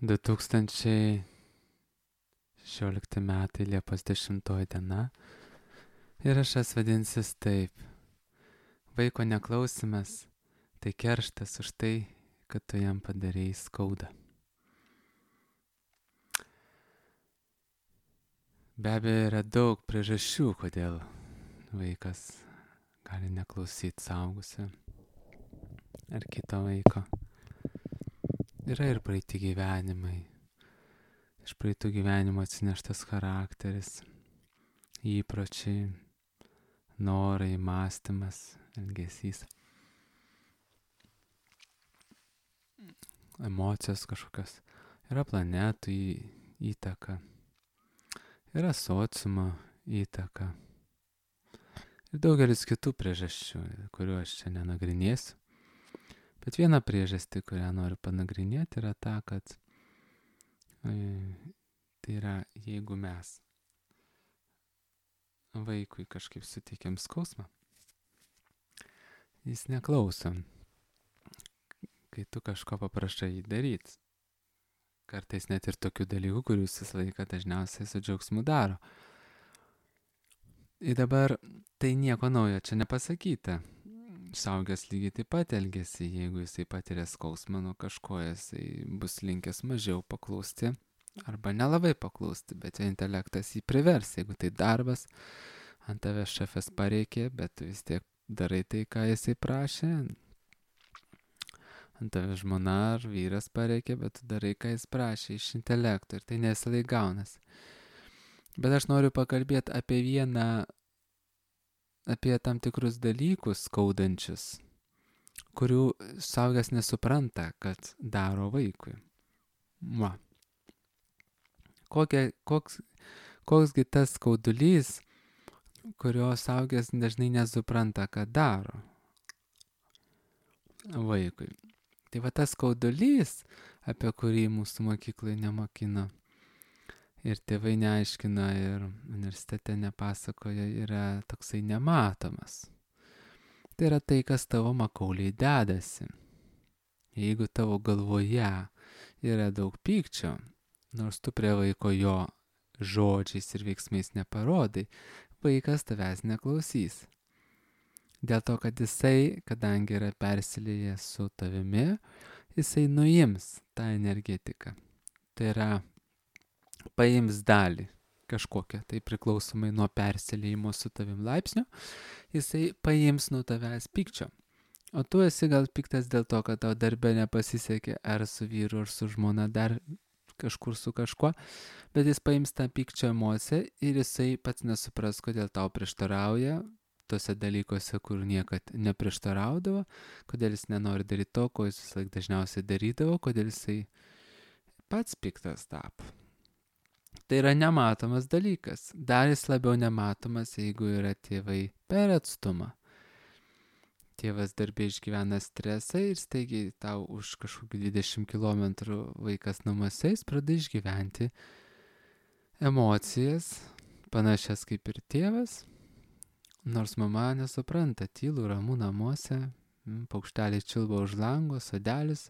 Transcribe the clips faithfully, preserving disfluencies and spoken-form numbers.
du tūkstančiai šešiolikti metai, Liepos dešimtoji diena. Įrašas vadinsis taip. Vaiko neklausimas - tai kerštas už tai, kad tu jam padarėjai skaudą. Be abejo, yra daug priežasčių, kodėl vaikas gali neklausyti suaugusio ar kito vaiko. Yra ir praeiti gyvenimai. Iš praeitų gyvenimo atsineštas charakteris, įpročiai, norai, mąstymas, elgesys, emocijos kažkokios. Yra planetų įtaka, yra sociumo įtaka ir daugelis kitų priežasčių, kuriuo aš čia nenagrinėsiu. Bet viena priežastį, kurią noriu panagrinėti, yra ta, kad tai yra, jeigu mes vaikui kažkaip suteikiam skausmą, jis neklauso, kai tu kažko paprašai jį daryti. Kartais net ir tokių dalykų, kurių jis visą laiką dažniausiai su džiaugsmu daro. Ir dabar tai nieko naujo čia nepasakyta. Suaugęs lygiai taip pat elgesi, jeigu jisai patiria skausmą nuo kažko, jisai bus linkęs mažiau paklausti arba nelabai paklausti, bet jo intelektas jį privers, jeigu tai darbas, ant tavęs šefas pareikė, bet tu vis tiek darai tai, ką jisai prašė, ant tavęs žmona ar vyras pareikė, bet tu darai, ką jis prašė iš intelekto ir tai nesilai gaunas. Bet aš noriu pakalbėti apie vieną apie tam tikrus dalykus skaudančius, kurių suaugęs nesupranta, kad daro vaikui. Va. Kokia, koks, koksgi tas skaudulys, kurio suaugęs dažnai nesupranta, kad daro vaikui. Tai va tas skaudulys, apie kurį mūsų mokyklai nemokino ir tėvai neaiškina ir universitete nepasakoja, yra toksai nematomas. Tai yra tai, kas tavo makauliai dedasi. Jeigu tavo galvoje yra daug pykčio, nors tu prie vaiko jo žodžiais ir veiksmais neparodai, vaikas tavęs neklausys. Dėl to, kad jisai, kadangi yra persilėjęs su tavimi, jisai nuims tą energetiką. Tai yra paims dalį kažkokią, tai priklausomai nuo persilėjimo su tavim laipsnio, jisai paims nuo tavęs pykčio. O tu esi gal piktas dėl to, kad tau darbe nepasisekė ar su vyru, ar su žmona, dar kažkur su kažkuo, bet jis paims tą pykčio emociją ir jisai pats nesupras, kodėl tau prieštarauja tose dalykuose, kur niekad neprieštaraudavo, kodėl jis nenori daryti to, ko jis vis laik dažniausiai darydavo, kodėl jisai pats piktas tapo. Tai yra nematomas dalykas. Dar jis labiau nematomas, jeigu yra tėvai per atstumą. Tėvas darbė išgyvena stresą ir staigiai tau už kažkokių dvidešimt kilometrų vaikas namuose, jis pradeda išgyventi emocijas, panašias kaip ir tėvas. Nors mama nesupranta, tylu, ramu namuose, paukšteliai čiulba už lango, sodelis,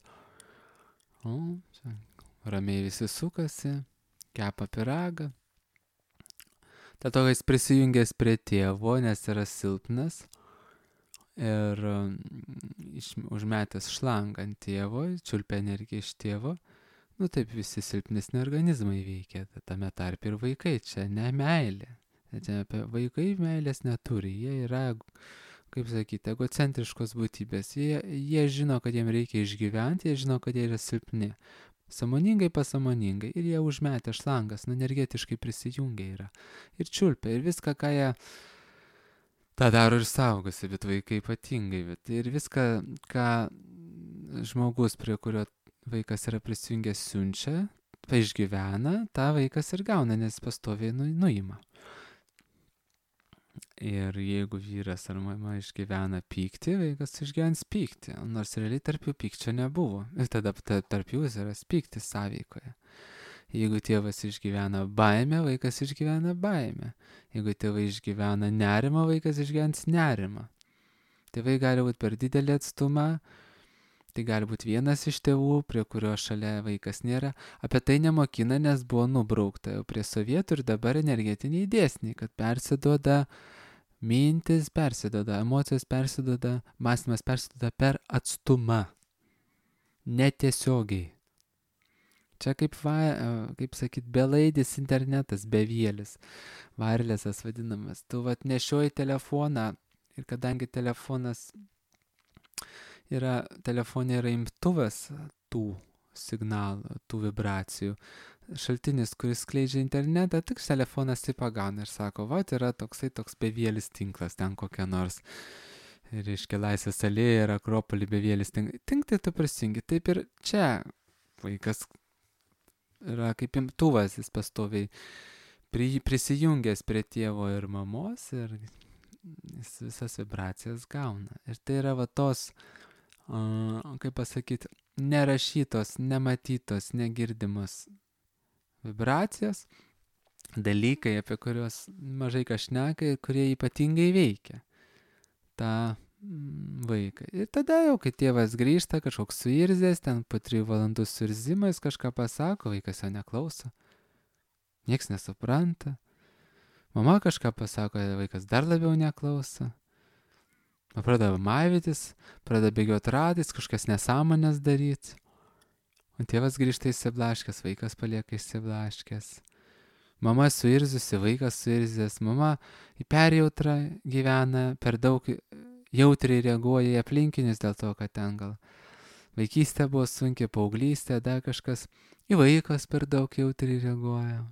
o, čia, ramiai visi sukasi, kepa pyragą. Dėl to, kad jis prisijungęs prie tėvo, nes yra silpnas ir užmetęs šlangą ant tėvo, čiulpia energiją iš tėvo, nu taip visi silpnesni organizmai veikia, tame tarp ir vaikai, čia ne meilė. Vaikai meilės neturi, jie yra, kaip sakyti, egocentriškos būtybės, jie, jie žino, kad jiems reikia išgyventi, jie žino, kad jie yra silpni. Sąmoningai, pasamoningai. Ir jie užmetę šlangas, nu, energetiškai prisijungia yra. Ir čiulpia. Ir viską, ką jie... tą daro ir saugosi, bet vaikai ypatingai. Bet ir viską, ką žmogus, prie kurio vaikas yra prisijungęs, siunčia, išgyvena, tą vaikas ir gauna, nes pastoviai nu, nuima. Ir jeigu vyras ar mama išgyvena pyktį, vaikas išgyvens pyktį, nors realiai tarp jų pykčio nebuvo. Ir tada tarp jų yra pyktis sąveikoje. Jeigu tėvas išgyvena baimę, vaikas išgyvena baimę. Jeigu tėvai išgyvena nerimą, vaikas išgyvens nerimą. Tėvai gali būti per didelį atstumą, Tai gali būti vienas iš tėvų, prie kurio šalia vaikas nėra. Apie tai nemokina, nes buvo nubraukta jau prie sovietų ir dabar energetiniai dėsniai, kad persiduoda mintis, persiduoda emocijos, persiduoda, mąstymas persiduoda per atstumą. Netiesiogiai. Čia kaip, va, kaip sakyt, belaidis internetas, bevėlis, wirelessas vadinamas. Tu vat nešioji telefoną ir kadangi telefonas yra, telefonė yra imtuvas tų signalų, tų vibracijų, šaltinis, kuris skleidžia internetą, tik telefonas tai pagauna ir sako, va, yra toksai toks bevėlis tinklas, ten kokia nors, reiškia, Laisvės alėja ir Akropolį bevėlis tinklas. Tink tai tu prisijungi. Taip ir čia vaikas yra kaip imtuvas, jis pastoviai prisijungęs prie tėvo ir mamos ir jis visas vibracijas gauna. Ir tai yra va tos, uh, kaip pasakyti, nerašytos, nematytos, negirdimos vibracijos, dalykai, apie kuriuos mažai kas šneka ir kurie ypatingai veikia tą vaiką. Ir tada jau, kai tėvas grįžta, kažkoks suirzęs, ten po trijų valandų suirzimais kažką pasako, vaikas jo neklauso. Nieks nesupranta. Mama kažką pasako, vaikas dar labiau neklauso. Pradeda maivytis, pradeda bėgioti ratais, kažkas nesąmonės daryti. O tėvas grįžta įsiblaškęs, vaikas palieka įsiblaškęs. Mama suirzusi, vaikas suirzęs, mama į perjautrą gyvena, per daug jautriai reaguoja į aplinkinius dėl to, kad ten gal vaikystė buvo sunki, paauglystė, dar kažkas, į vaikas per daug jautriai reaguoja.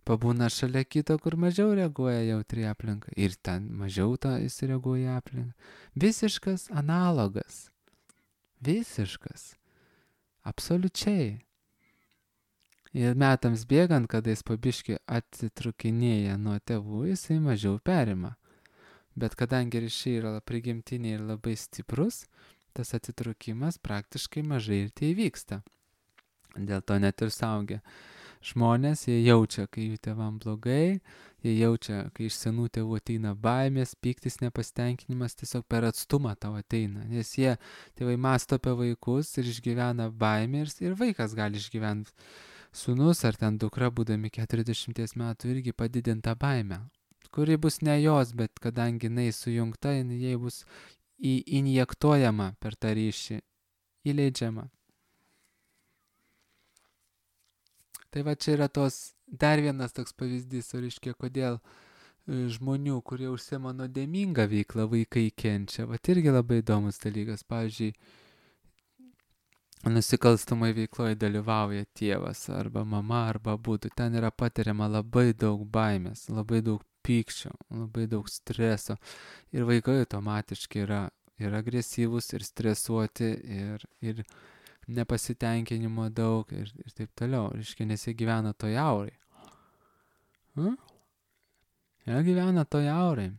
Pabūna šalia kito, kur mažiau reaguoja jautriai aplinką ir ten mažiau tą jis reaguoja aplinką. Visiškas analogas. Visiškas. Absoliučiai. Ir metams bėgant, kada jis pabiški atitrukinėja nuo tėvų, jisai mažiau perima. Bet kadangi ryšiai yra prigimtiniai ir labai stiprus, tas atitrukimas praktiškai mažai ir tai vyksta. Dėl to net ir suaugę žmonės, jie jaučia, kai jų tėvam blogai, jie jaučia, kai iš senų tėvų ateina baimės, pyktis, nepasitenkinimas, tiesiog per atstumą tau ateina. Nes jie, tėvai mąsto apie vaikus ir išgyvena baimę ir, ir vaikas gali išgyventi. Sūnus ar ten dukra, būdami keturiasdešimties metų, irgi padidinta baimė, kuri bus ne jos, bet kadangi jinai sujungta, jinai bus į, injektuojama per tą ryšį, įleidžiama. Tai va čia yra tos, dar vienas toks pavyzdys, o reiškia, kodėl žmonių, kurie užsiema nuodėmingą veiklą, vaikai kenčia. Va irgi labai įdomus dalykas. Pavyzdžiui, nusikalstamai veikloje dalyvauja tėvas arba mama arba abudu. Ten yra patiriama labai daug baimės, labai daug pykčio, labai daug streso. Ir vaikai automatiškai yra ir agresyvūs, ir stresuoti, ir, ir nepasitenkinimo daug, ir, ir taip toliau. Reiškia, nes jie gyvena toj aurai. Hm? Jie gyvena toj aurai.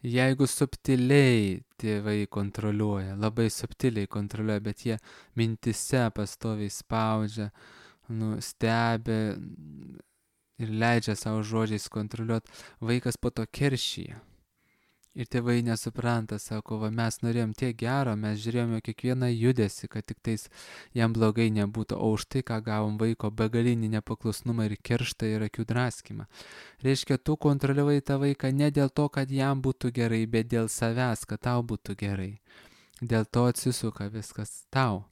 Jeigu subtiliai tėvai kontroliuoja, labai subtiliai kontroliuoja, bet jie mintise pastoviai spaudžia, nu, stebi ir leidžia savo žodžiais kontroliuoti, vaikas po to keršyje. Ir tėvai nesupranta, sako, va mes norėjom tiek gero, mes žiūrėjome kiekvieną judesį, kad tik tais jam blogai nebūtų, o už tai, ką gavom vaiko begalinį nepaklusnumą ir kerštą ir akių draskymą. Reiškia, tu kontroliuoji tą vaiką ne dėl to, kad jam būtų gerai, bet dėl savęs, kad tau būtų gerai. Dėl to atsisuka viskas tau.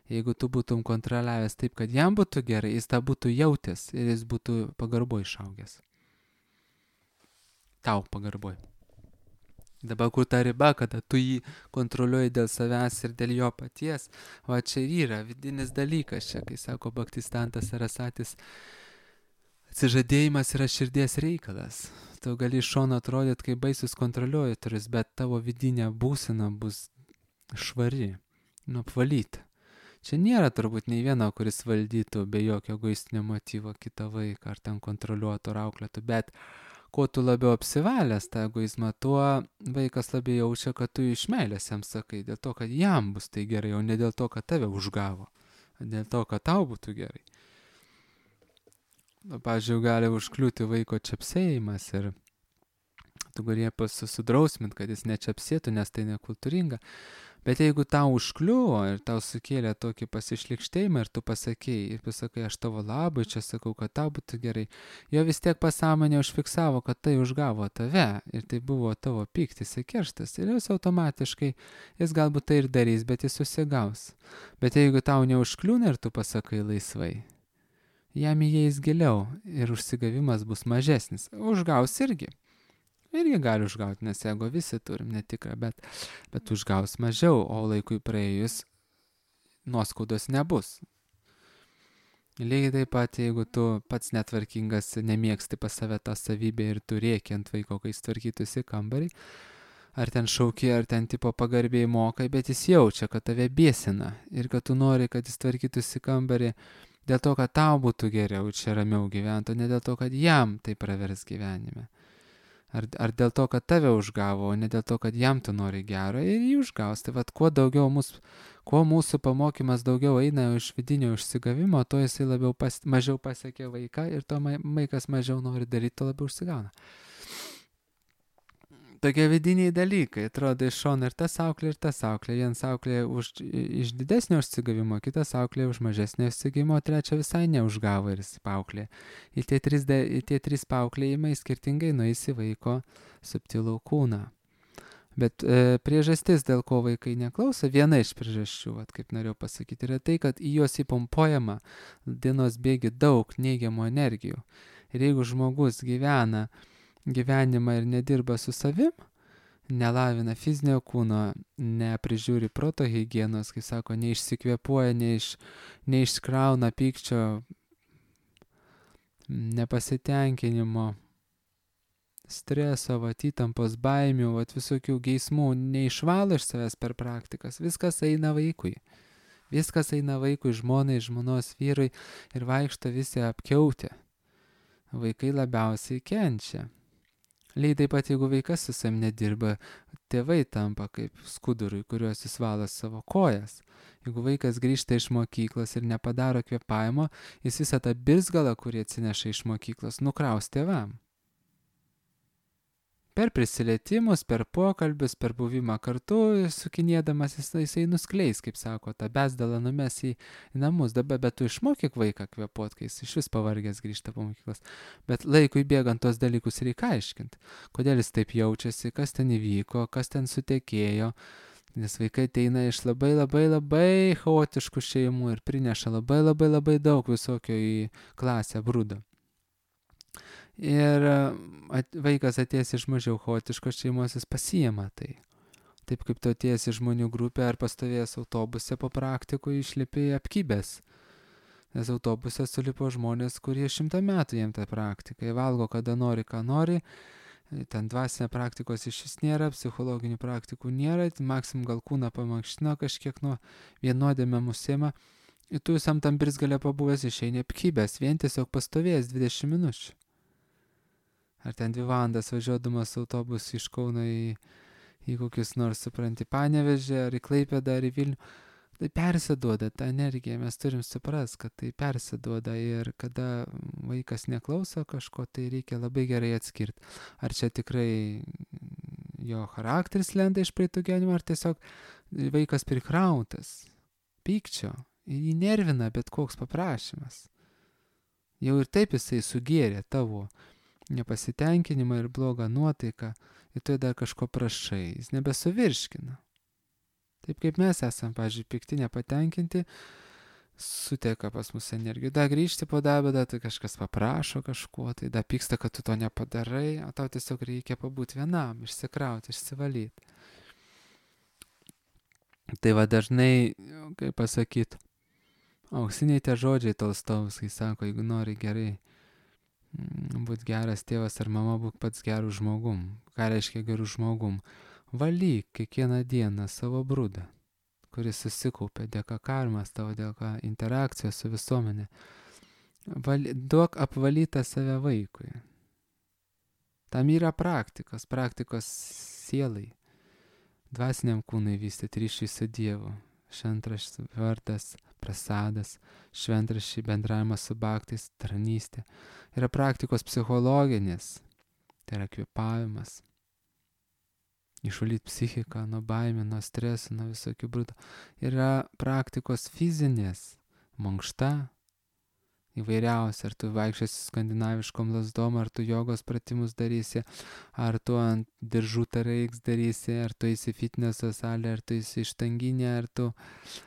Jeigu tu būtum kontroliavęs taip, kad jam būtų gerai, jis tą būtų jautęs ir jis būtų pagarboj išaugęs. Tau pagarboj. Dabar kur ta riba, kada tu jį kontroliuoji dėl savęs ir dėl jo paties, va čia ir yra vidinis dalykas čia, kai sako Bhaktistantas Sarasatis, atsižadėjimas yra širdies reikalas. Tu gali iš šono atrodyti, kaip baisus kontroliuotojas, bet tavo vidinė būsena bus švari, nuapvalyta. Čia nėra turbūt nei vieno, kuris valdytų be jokio egoistinio motyvo kitą vaiką, ar ten kontroliuotų, ar auklėtų, bet kuo tu labiau apsivalęs tą egoizmą, tuo vaikas labiau jaučia, kad tu iš meilės jam sakai, dėl to, kad jam bus tai gerai, o ne dėl to, kad tave užgavo, dėl to, kad tau būtų gerai. Pavyzdžiui, gali užkliūti vaiko čepsėjimas ir tu gali susidrausmint, kad jis nečiapsėtų, nes tai nekultūringa. Bet jeigu tau užkliuvo ir tau sukėlė tokį pasišlikštėjimą ir tu pasakei, ir pasakai, aš tavo labai čia sakau, kad tau būtų gerai, jo vis tiek pasąmonė užfiksavo, kad tai užgavo tave ir tai buvo tavo pyktis ir kerštas. Ir jis automatiškai, jis galbūt tai ir darys, bet jis susigaus. Bet jeigu tau neužkliūna ir tu pasakai laisvai, jam įeis giliau ir užsigavimas bus mažesnis. Užgaus irgi. Irgi gali užgauti, nes ego visi turim, netikrą, bet, bet užgaus mažiau, o laikui praėjus nuoskaudos nebus. Lygiai taip pat, jeigu tu pats netvarkingas, nemėgsti pas save tą savybę ir tu rėki ant vaiko, kai jis tvarkytųsi kambarį, ar ten šauki, ar ten tipo pagarbiai mokai, bet jis jaučia, kad tave bėsina ir kad tu nori, kad jis tvarkytųsi kambarį dėl to, kad tau būtų geriau čia ramiau gyventi, ne dėl to, kad jam tai pravers gyvenime. Ar, ar dėl to, kad tave užgavo, o ne dėl to, kad jam tu nori gero ir jį užgaus. Tai vad, kuo daugiau mūsų, kuo mūsų pamokymas daugiau eina iš vidinio užsigavimo, to jisai labiau pas, mažiau pasiekia vaiką ir to vaikas mažiau nori daryti, to labiau užsigauna. Tokie vidiniai dalykai, atrodo iš šono ir tas auklė, ir tas auklė. Vienas auklė už, iš didesnio užsigavimo, kitas auklė už mažesnio užsigavimo, o trečia visai neužgavo ir jis paauklė. Ir tie trys, tie trys paauklėjimai skirtingai nueis į vaiko subtilų kūną. Bet e, priežastis, dėl ko vaikai neklauso, viena iš priežasčių, vat, kaip norėjau pasakyti, yra tai, kad į juos įpompuojama dienos bėgi daug neigiamų energijų. Ir jeigu žmogus gyvena gyvenimą ir nedirba su savim, nelavina fizinio kūno, neprižiūri proto higienos, kaip sako, neišsikvėpuoja, neiš, neiškrauna pykčio, nepasitenkinimo, streso, vat, įtampos, baimių, vat, visokių geismų, neišvalo iš savęs per praktikas, viskas eina vaikui. Viskas eina vaikui, žmonai, žmonos vyrui ir vaikšto visi apkiautę. Vaikai labiausiai kenčia. Lygiai taip pat, jeigu vaikas su savim nedirba, tėvai tampa kaip skudurui, kuriuos jis valo savo kojas. Jeigu vaikas grįžta iš mokyklos ir nepadaro kvėpavimo, jis visą tą birzgalą, kurį atsineša iš mokyklos, nukraus tėvam. Per prisilietimus, per pokalbius, per buvimą kartu, sukinėdamas jis, jisai nuskleis, kaip sako, tą bezdalą numes į, į namus. Dabar, bet tu išmokyk vaiką kvėpuot, kai jis iš vis pavargęs grįžta po mokyklos. Bet laikui bėgant tos dalykus reikia aiškinti. Kodėl jis taip jaučiasi, kas ten įvyko, kas ten sutekėjo. Nes vaikai ateina iš labai labai labai chaotiškų šeimų ir prineša labai labai labai daug visokio į klasę brūdo. Ir at, vaikas atėjęs iš mažiau chaotiškos šeimos, jis pasiima tai. Taip kaip tu atėjęs iš žmonių grupė ar pastovėjęs autobuse po praktikų išlipi apkybęs. Nes autobuse sulipo žmonės, kurie šimtą metų jiem tą praktiką. Jie valgo, kada nori, ką nori. Ten dvasinė praktikos iš vis nėra, psichologinių praktikų nėra. Maksim gal kūną pamankštino kažkiek nuo vienodėme musėma. Ir tu visam tam birzgalė pabuvęs išeini apkybęs, vien tiesiog pastovėjęs dvidešimt minučių. Ar ten dvi valandas važiuodamas autobus iš Kauno į, į kokius nors, supranti, Panevėžį, ar į Klaipėdą, ar į Vilnių. Tai persiduoda ta energija, mes turim suprast, kad tai persiduoda ir kada vaikas neklauso kažko, tai reikia labai gerai atskirti. Ar čia tikrai jo charakteris lenda iš praeitų gyvenimo, ar tiesiog vaikas prikrautas pykčio ir jį nervina bet koks paprašymas. Jau ir taip jisai sugėrė tavo nepasitenkinimą ir blogą nuotaiką, ir tu dar kažko prašai, jis nebesuvirškina. Taip kaip mes esam, pavyzdžiui, pikti, nepatenkinti, suteka pas mus energijų. Da grįžti po darbą, da tai kažkas paprašo kažko, tai da pyksta, kad tu to nepadarai, o tau tiesiog reikia pabūti vienam, išsikrauti, išsivalyti. Tai va dažnai, kaip pasakyt, auksiniai tie žodžiai Tolstojaus, kai sako, jeigu nori gerai būt geras tėvas ar mama, būk pats gerų žmogum. Ką reiškia gerų žmogum? Valyk kiekvieną dieną savo brūdą, kuris susikaupė dėka karmas tavo, dėka interakcijos su visuomenė. Valy, duok apvalytą save vaikui. Tam yra praktikos, praktikos sielai, dvasiniam kūnui vystyti ryšį su Dievu. Šventraštis, vardas, prasadas, šventraščiai, bendravimas su bhaktais, tarnystė. Yra praktikos psichologinės, tai yra kvėpavimas, išvalyti psichiką nuo baimių, nuo streso, nuo visokių brudo. Yra praktikos fizinės, mankšta, įvairiausia, ar tu vaikščiosi skandinaviškom lasdom, ar tu jogos pratimus darysi, ar tu ant diržų tareiks darysi, ar tu eisi fitneso salę, ar tu eisi ištanginę, ar tu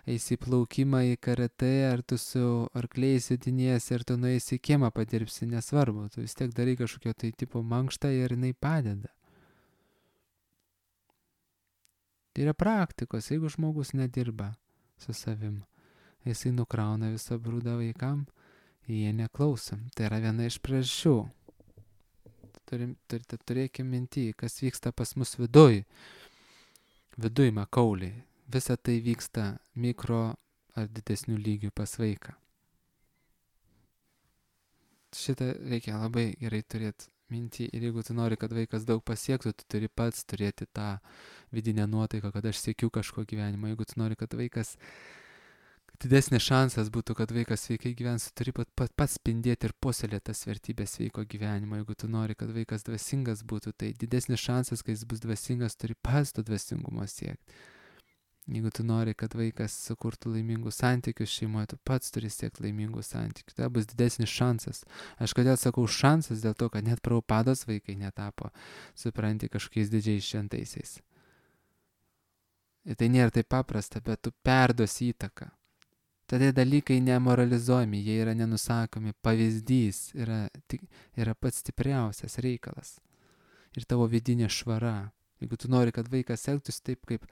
eisi į plaukimą, į karatė, ar tu su arkliais judiniesi, ar tu nueisi į kiemą padirbsi, nesvarbu, tu vis tiek darai kažkokio tai tipo mankštą ir jinai padeda. Tai yra praktikos, jeigu žmogus nedirba su savim, jisai nukrauna visą brūdą vaikam, jie neklauso. Tai yra viena iš priežasčių. Turim, turite turėkime minty, kas vyksta pas mus viduj. Viduj makauliai. Visa tai vyksta mikro ar didesnių lygių pas vaiką. Šitą reikia labai gerai turėti minty. Ir jeigu tu nori, kad vaikas daug pasiektų, tu turi pats turėti tą vidinę nuotaiką, kad aš siekiu kažko gyvenimo. Jeigu tu nori, kad vaikas didesnis šansas būtų, kad vaikas sveikai gyvens, turi pat, pat, pats spindėti ir puoselėti tas vertybės sveiko gyvenimo. Jeigu tu nori, kad vaikas dvasingas būtų, tai didesnis šansas, kai jis bus dvasingas, turi pats to dvasingumo siekti. Jeigu tu nori, kad vaikas sukurtų laimingus santykius šeimoje, tu pats turi siekti laimingų santykių. Tai bus didesnis šansas. Aš kodėl sakau šansas, dėl to, kad net Prabhupados vaikai netapo, supranti, kažkokiais didžiais šventaisiais. Ir tai nėra taip paprasta, bet tu perduosi įtaką. Tada dalykai nemoralizuojami, jie yra nenusakomi, pavyzdys yra, yra pats stipriausias reikalas. Ir tavo vidinė švara. Jeigu tu nori, kad vaikas elgtųsi taip, kaip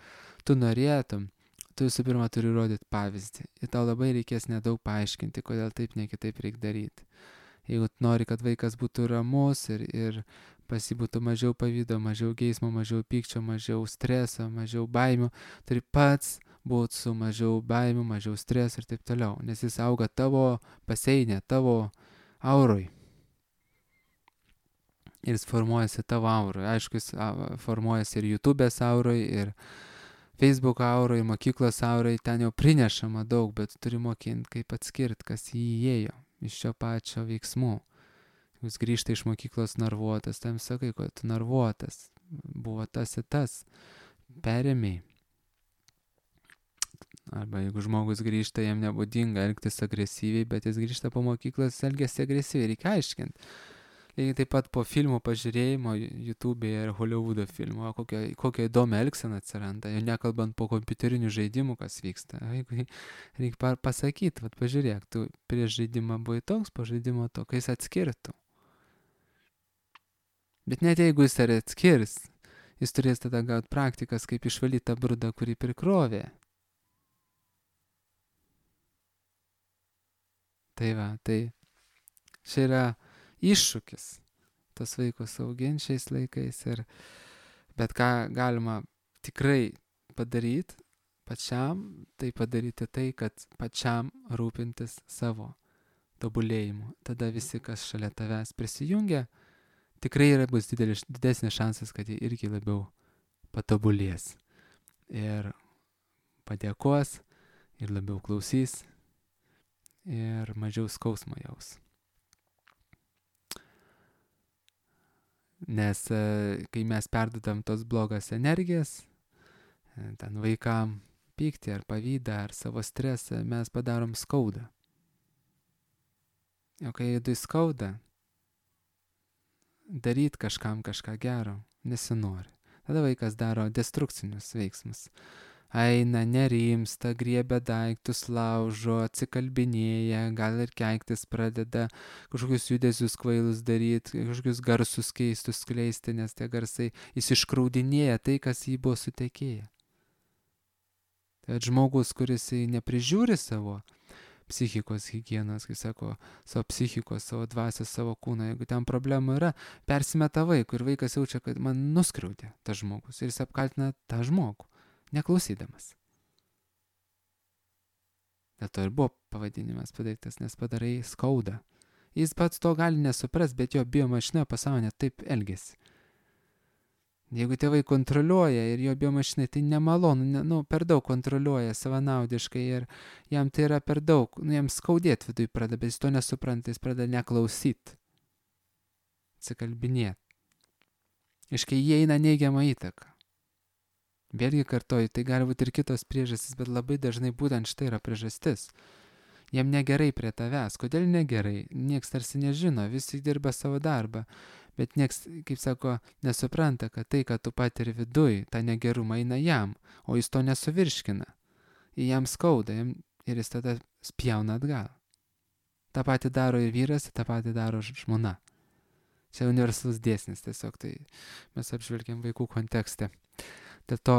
tu norėtum, tu visų pirma turi rodyti pavyzdį. Ir tau labai reikės nedaug paaiškinti, kodėl taip, ne kitaip reikia daryti. Jeigu tu nori, kad vaikas būtų ramus ir, ir pas jį būtų mažiau pavydo, mažiau geismo, mažiau pykčio, mažiau streso, mažiau baimių, turi pats būti su mažiau baimių, mažiau streso ir taip toliau, nes jis auga tavo paseinė, tavo auroj. Ir jis formuojasi tavo auroj. Aišku, jis formuojasi ir YouTube'ės auroj, ir Facebook auroj, ir mokyklos auroj, ten jau prinešama daug, bet turi mokinti, kaip atskirti, kas jį įėjo iš šio pačio veiksmų. Jūs grįžta iš mokyklos narvuotas, tam sakai, kad tu narvuotas, buvo tas ir tas, perėmiai. Arba jeigu žmogus grįžta, jam nebūdinga elgtis agresyviai, bet jis grįžta po mokyklos, elgiasi agresyviai, reikia aiškinti. Lygiai taip pat po filmų pažiūrėjimo YouTube'e ir Hollywoodo filmo, kokia, kokia įdomia elgsena atsiranda, jau nekalbant po kompiuterinių žaidimų, kas vyksta. Jeigu reikia pasakyti, vat pažiūrėk, tu prieš žaidimą buvai toks, po žaidimo to, kai jis atskirtų. Bet net jeigu jis ar atskirs, jis turės tada gauti praktikas, kaip išvalyti tą brudą, kurį prikrovė. Tai va, tai čia yra iššūkis tas vaikus auginti šiais laikais, ir, bet ką galima tikrai padaryti pačiam, tai padaryti tai, kad pačiam rūpintis savo tobulėjimu. Tada visi, kas šalia tavęs prisijungia, tikrai yra bus didelis, didesnis šansas, kad jie irgi labiau patobulės ir padėkos ir labiau klausys ir mažiau skausmo jaus. Nes kai mes perdodam tos blogas energijas, ten vaikam pyktį ar pavydą ar savo stresą, mes padarom skaudą. O kai vidui skauda, daryt kažkam kažką gero nesinori. Tada vaikas daro destrukcinius veiksmus. Eina, nerimsta, griebia daiktus, laužo, atsikalbinėja, gal ir keiktis pradeda, kažkokius judesius kvailus daryti, kažkokius garsus keistus skleisti, nes tie garsai jis iškraudinėja tai, kas jį buvo sutekėję. Tai žmogus, kuris neprižiūri savo psichikos higienos, kai sako, savo psichikos, savo dvasios, savo kūną, jeigu ten problemų yra, persimeta vaikų ir vaikas jaučia, kad man nuskriaudė tas žmogus ir jis apkaltina tą žmogų. Neklausydamas. Dėl to ir buvo pavadinimas padarytas, nes padarai skaudą. Jis pats to gali nesuprast, bet jo biomašina pasaulyje taip elgesi. Jeigu tėvai kontroliuoja ir jo biomašinai tai nemalonu, ne, nu, per daug kontroliuoja savanaudiškai ir jam tai yra per daug, nu, jam skaudėti vidui pradeda, bet jis to nesupranta, jis pradeda neklausyti, atsikalbinėti. Iškai įeina neigiamą įtaką. Vėlgi kartoju, tai gali būti ir kitos priežastys, bet labai dažnai būtent štai yra priežastis. Jiem negerai prie tavęs. Kodėl negerai? Niekas tarsi nežino, visi dirba savo darbą. Bet nieks, kaip sako, nesupranta, kad tai, kad tu patiri viduj, tą negerumą eina jam, o jis to nesuvirškina. Jam skauda jam, ir jis tada spjauna atgal. Ta pati daro ir vyras, ta pati daro žmona. Čia universalus dėsnis tiesiog, tai mes apžvelgiam vaikų kontekste. Dėl to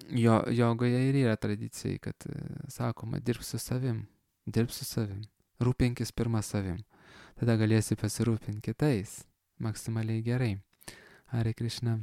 jo, jogoje ir yra tradicijai, kad sakoma, dirbk su savim, dirbk su savim, rūpinkis pirmą savim. Tada galėsi pasirūpinti kitais maksimaliai gerai. Hare Krishna.